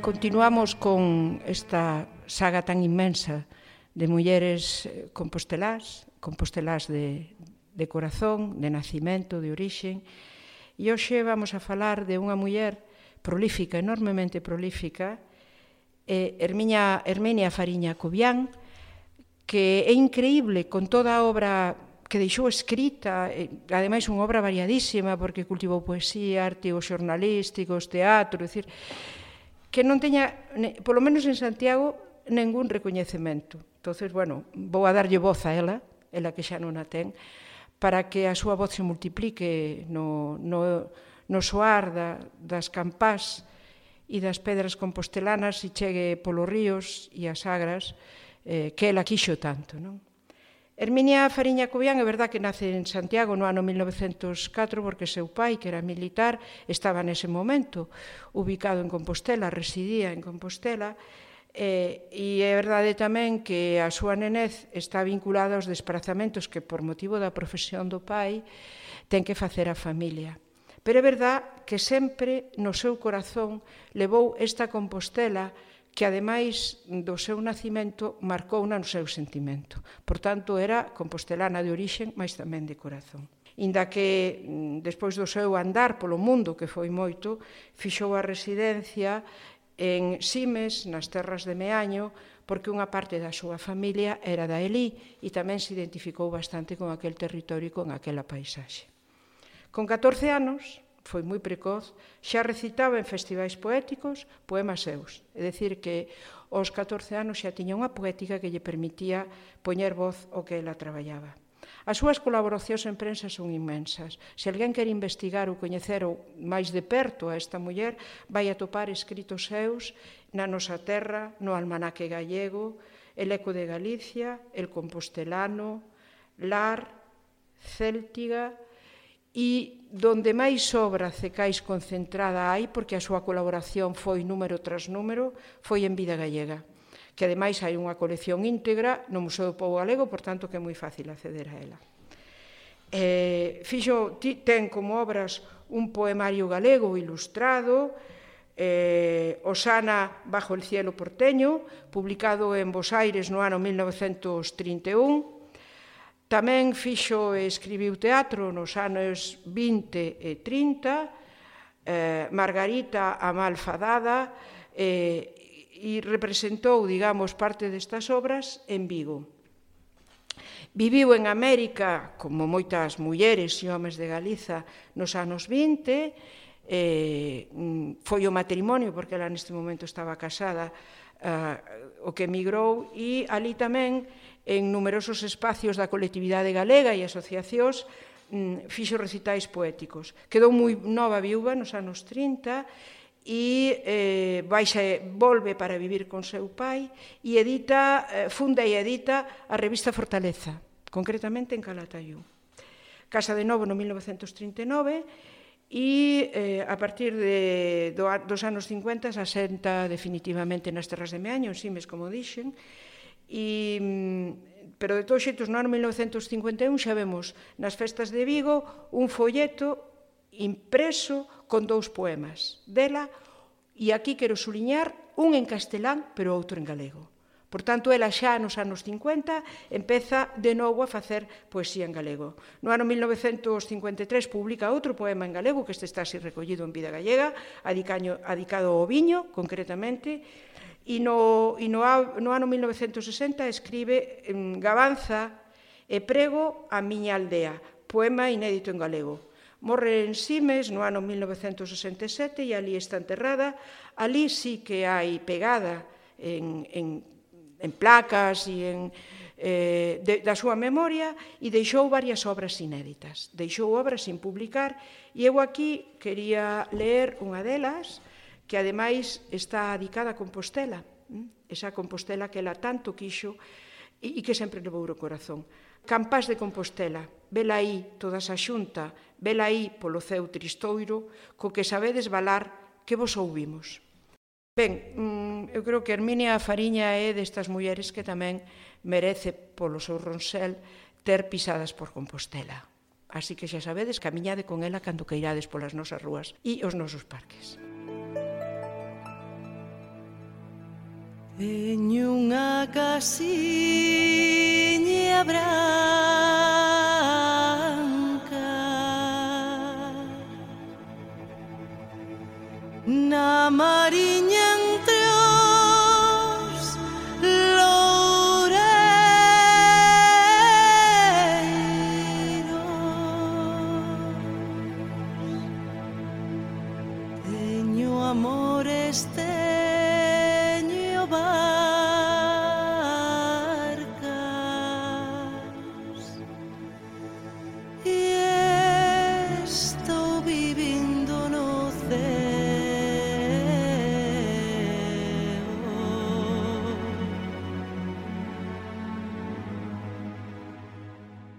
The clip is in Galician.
Continuamos con esta saga tan inmensa de mulleres compostelás de corazón, de nacimento, de orixe. E hoxe vamos a falar de unha muller prolífica, enormemente prolífica, Herminia Fariña Cobián, que é increíble con toda a obra que deixou escrita, ademais unha obra variadísima, porque cultivou poesía, artigos xornalísticos, teatro, é dicir, que non teña, polo menos en Santiago, ningún recoñecemento. Entonces, bueno, vou a darlle voz a ela que xa non a ten, para que a súa voz se multiplique no soar das campás e das pedras compostelanas e chegue polos ríos e as agras que ela quixo tanto, non? Herminia Fariña Cobián é verdad que nace en Santiago no ano 1904 porque seu pai, que era militar, estaba nese momento ubicado en Compostela, residía en Compostela, e é verdade tamén que a súa nenez está vinculada aos desprazamentos que por motivo da profesión do pai ten que facer a familia. Pero é verdad que sempre no seu corazón levou esta Compostela que ademais do seu nacimento marcou no seu sentimento. Por tanto, era compostelana de orixen, mas tamén de corazón. Inda que, despois do seu andar polo mundo, que foi moito, fixou a residencia en Simes, nas terras de Meaño, porque unha parte da súa familia era da Elí e tamén se identificou bastante con aquel territorio e con aquela paisaxe. Con 14 anos, foi moi precoz, xa recitaba en festivais poéticos poemas seus. É dicir, que aos 14 anos xa tiña unha poética que lle permitía poñer voz ao que ela traballaba. As súas colaboracións en prensa son inmensas. Se alguén quer investigar ou coñecer máis de perto a esta muller, vai atopar escritos seus na Nosa Terra, no Almanaque Gallego, El Eco de Galicia, El Compostelano, Lar, Céltiga, e donde máis obra cecais concentrada hai, porque a súa colaboración foi número tras número, foi en Vida Gallega, que ademais hai unha colección íntegra no Museo do Pobo Galego, por tanto que é moi fácil acceder a ela. Ten como obras un poemario galego ilustrado, Osana bajo el cielo porteño, publicado en Bos Aires no ano 1931, tamén fixo e escribiu teatro nos anos 20 e 30, Margarita a Malfadada, e representou, digamos, parte destas obras en Vigo. Viviu en América, como moitas mulleres e homes de Galiza, nos anos 20, foi o matrimonio, porque ela neste momento estaba casada, o que emigrou, e ali tamén, en numerosos espacios da colectividade galega e asociacións, fixo recitais poéticos. Quedou moi nova viúva nos anos 30 e volve para vivir con seu pai e funda e edita a revista Fortaleza, concretamente en Calatayud. Casa de novo no 1939 e a partir dos anos 50 se asenta definitivamente nas terras de Meaño, en Simes, como dixen, pero de todos xeitos no ano 1951 xa vemos nas festas de Vigo un folleto impreso con 2 poemas dela, e aquí quero suliñar un en castelán pero outro en galego. Por tanto, ela xa nos anos 50 empeza de novo a facer poesía en galego. No ano 1953 publica outro poema en galego, que este está así recollido en Vida Gallega, adicado ao viño, concretamente, e no ano 1960 escribe Gabanza e prego a miña aldea, poema inédito en galego. Morre en Simes no ano 1967 e ali está enterrada. Ali sí que hai pegada en placas e da súa memoria, e deixou varias obras inéditas. Deixou obras sin publicar, e eu aquí quería ler unha delas, que ademais está dedicada a Compostela, esa Compostela que ela tanto quixo e que sempre levou o corazón. Campás de Compostela, vela aí toda esa xunta, vela aí polo ceu tristoiro, co que sabedes valar que vos ouvimos. Ben, eu creo que Herminia Fariña é destas mulleres que tamén merece polo seu ronsel ter pisadas por Compostela. Así que xa sabedes, camiñade con ela cando queirades polas nosas rúas e os nosos parques. Teño unha casiña branca na mariña entre os loureiros. Teño amores